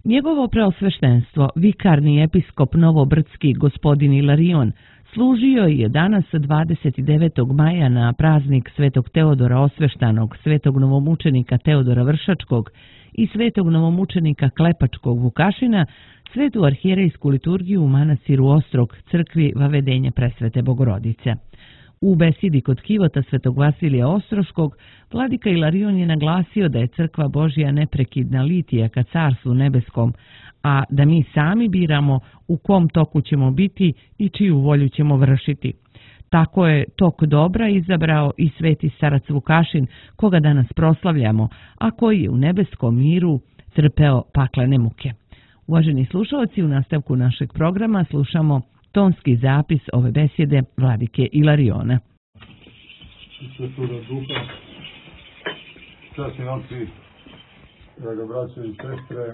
Njegovo preosveštenstvo, vikarni episkop Novobrdski gospodin Ilarion, služio je danas 29. maja na praznik Svetog Teodora Osveštanog, Svetog novomučenika Teodora Vršačkog i Svetog novomučenika Klepačkog Vukašina, svetu arhijerejsku liturgiju u manastiru Ostrog, crkvi Vavedenja Presvete Bogorodice. U besidi kod kivota Svetog Vasilija Ostroškog, vladika Ilarion je naglasio da je crkva Božja neprekidna litija ka Carstvu nebeskom, a da mi sami biramo u kom toku ćemo biti i čiju volju ćemo vršiti. Tako je tok dobra izabrao i sveti starac Vukašin, koga danas proslavljamo, a koji je u nebeskom miru trpeo paklene muke. Uvaženi slušalci, u nastavku našeg programa slušamo tonski zapis ove besjede vladike Ilariona. Svetoga duha, časni oci, draga braćo i sestre,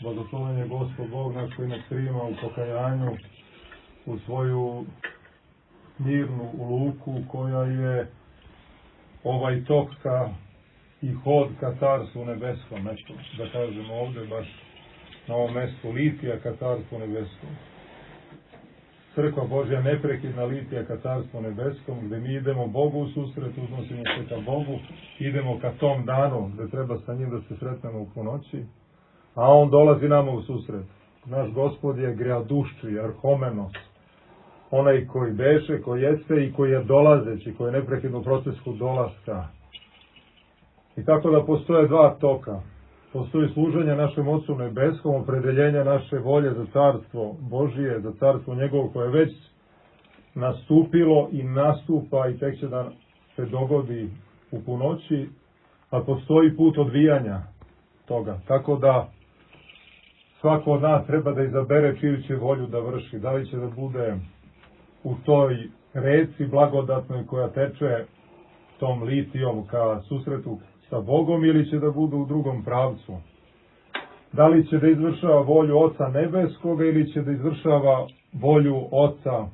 blagosloven je Gospod Bog naš koji nas prima u pokajanju, u svoju mirnu luku koja je ovaj tok i hod ka Carstvu nebeskom, eto, da kažemo ovdje baš na ovom mestu litija ka Carstvu nebeskom. Crkva Božja neprekidna litija ka Carstvu nebeskom, gdje mi idemo Bogu u susret, uznosimo se ka Bogu, idemo ka tom danu gdje treba sa njim da se sretnemo u ponoći, a on dolazi nama u susret. Naš Gospod je greadušči, arhomenos, onaj koji beše, koji jeste i koji je dolazeći, koji je neprekidno u procesu dolaska. I tako da postoje dva toka. Postoji služenje našem Otcu nebeskom, opredeljenja naše volje za Carstvo Božije, za Carstvo njegovo koje je već nastupilo i nastupa i tek će da se dogodi u punoći, a postoji put odvijanja toga. Tako da svako od nas treba da izabere čiju će volju da vrši. Da li će da bude u toj reci blagodatnoj koja teče tom litijom ka susretu sa Bogom ili će da bude u drugom pravcu. Da li će da izvršava volju Oca nebeskoga ili će da izvršava volju Oca,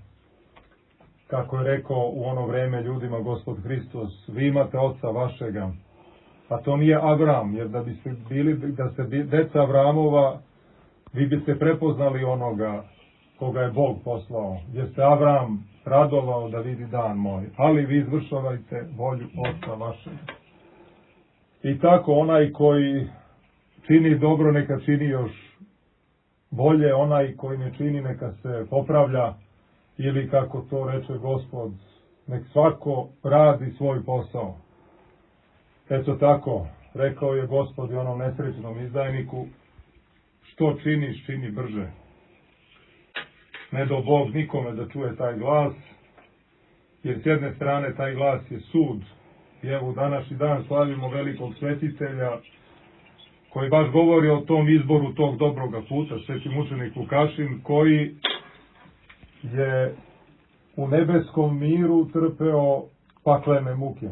kako je rekao u ono vreme ljudima Gospod Hristos, vi imate Oca vašega. A to nije Avram, jer da biste bili, da ste deca Avramova, vi biste prepoznali onoga koga je Bog poslao, jer se Avram radovao da vidi dan moj, ali vi izvršavajte volju Oca vašega. I tako onaj koji čini dobro neka čini još bolje, onaj koji ne čini neka se popravlja ili kako to reče Gospod, nek svako radi svoj posao. Eto tako, rekao je Gospod i onom nesrećnom izdajniku, što činiš, čini brže. Ne do Bog nikome da čuje taj glas, jer s jedne strane taj glas je sud. I evo današnji dan slavimo velikog svetitelja koji baš govori o tom izboru tog dobroga puta, sveti mučenik Vukašin, koji je u nebeskom miru trpeo paklene muke.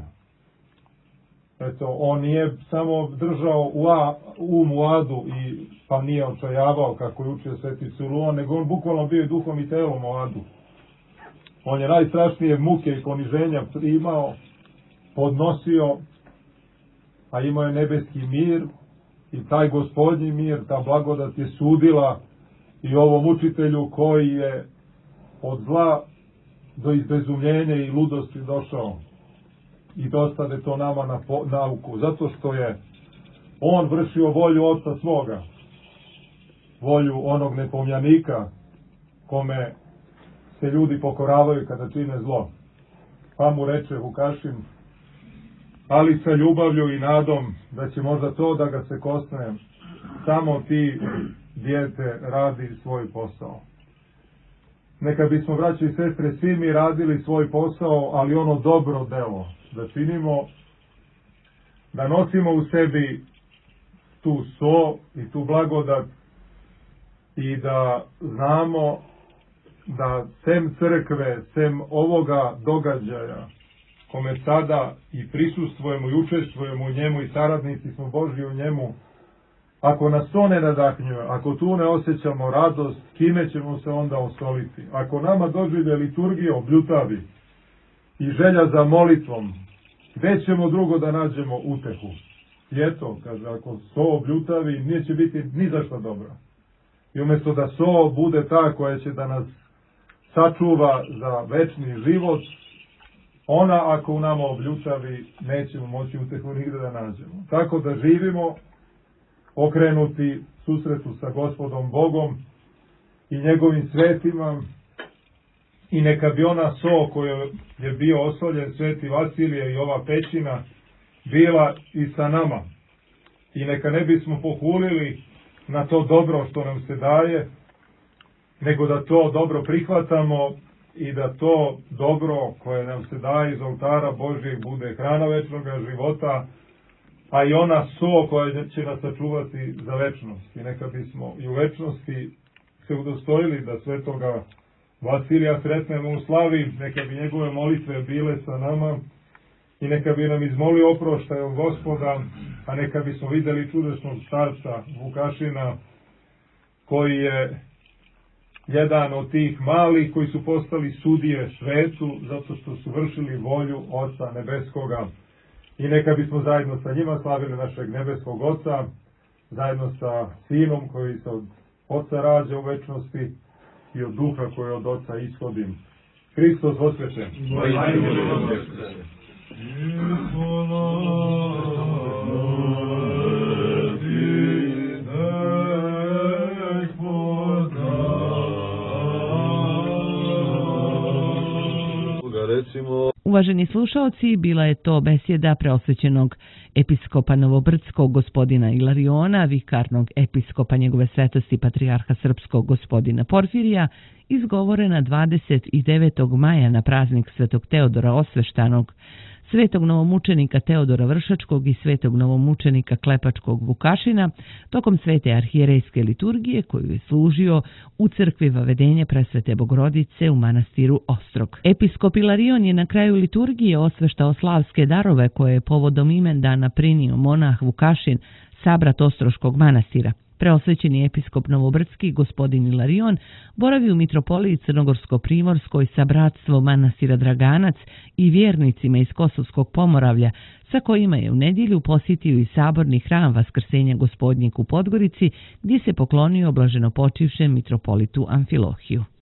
Eto, on nije samo držao u adu i pa nije očajavao kako je učio sveti Siluan, nego on bukvalno bio i duhom i telom u adu. On je najstrašnije muke i poniženja primao, podnosio, a imao je nebeski mir i taj gospodnji mir, ta blagodat je sudila i ovom učitelju koji je od zla do izbezumljenja i ludosti došao i dostade to nama na nauku, zato što je on vršio volju Oca svoga, volju onog nepomljanika kome se ljudi pokoravaju kada čine zlo. Pa mu reče Vukašin, ali sa ljubavlju i nadom da će možda to da ga se kosne, samo ti, dijete, radi svoj posao. Neka bismo, braći i sestre, svi mi radili svoj posao, ali ono dobro delo da činimo, da nosimo u sebi tu so i tu blagodat i da znamo da sem crkve, sem ovoga događaja kome sada i prisustvujemo i učestvujemo u njemu i saradnici smo Božji u njemu, ako nas to ne nadahnjuje, ako tu ne osjećamo radost, kime ćemo se onda osoliti? Ako nama dođe liturgija obljutavi i želja za molitvom, gdje ćemo drugo da nađemo utehu? I eto, kaže, ako so bljutavi, neće biti ni za šta dobro. I umjesto da so bude ta koja će da nas sačuva za večni život, ona ako u nama obljutavi, nećemo moći utehu nigde da nađemo. Tako da živimo okrenuti susretu sa Gospodom Bogom i njegovim svetima, i neka bi ona so koju je bio osoljen sveti Vasilije i ova pećina bila i sa nama. I neka ne bismo pohulili na to dobro što nam se daje, nego da to dobro prihvatamo i da to dobro koje nam se daje iz oltara Božijeg bude hrana večnog života, a i ona so koja će nas sačuvati za večnost. I neka bismo i u večnosti se udostojili da svetoga Vasilija sretnemo u slavi, neka bi njegove molitve bile sa nama i neka bi nam izmolio oproštaj od Gospoda, a neka bismo vidjeli čudesnog starca Vukašina, koji je jedan od tih malih koji su postali sudije svetu zato što su vršili volju Oca Nebeskoga. I neka bismo zajedno sa njima slavili našeg nebeskog Oca, zajedno sa Sinom koji se od Oca rađa u večnosti i od Duha koji od Oca ishodi. Hristos voskreće. Uvaženi slušaoci, bila je to besjeda preosvećenog episkopa Novobrdskog gospodina Ilariona, vikarnog episkopa njegove svetosti patrijarha srpskog gospodina Porfirija, izgovorena 29. maja na praznik svetog Teodora Osveštanog, svetog novomučenika Teodora Vršačkog i svetog novomučenika Klepačkog Vukašina tokom svete arhijerejske liturgije koju je služio u crkvi Vavedenje Presvete Bogorodice u manastiru Ostrog. Episkop Ilarion je na kraju liturgije osveštao slavske darove koje je povodom imendana prinio monah Vukašin, sabrat Ostroškog manastira. Preosvećeni episkop Novobrdski gospodin Ilarion boravi u mitropoliji Crnogorsko-Primorskoj sa bratstvom manastira Draganac i vjernicima iz Kosovskog Pomoravlja, sa kojima je u nedjelju posjetio i saborni hram Vaskrsenja Gospodnjeg u Podgorici, gdje se poklonio blaženopočivšem mitropolitu Amfilohiju.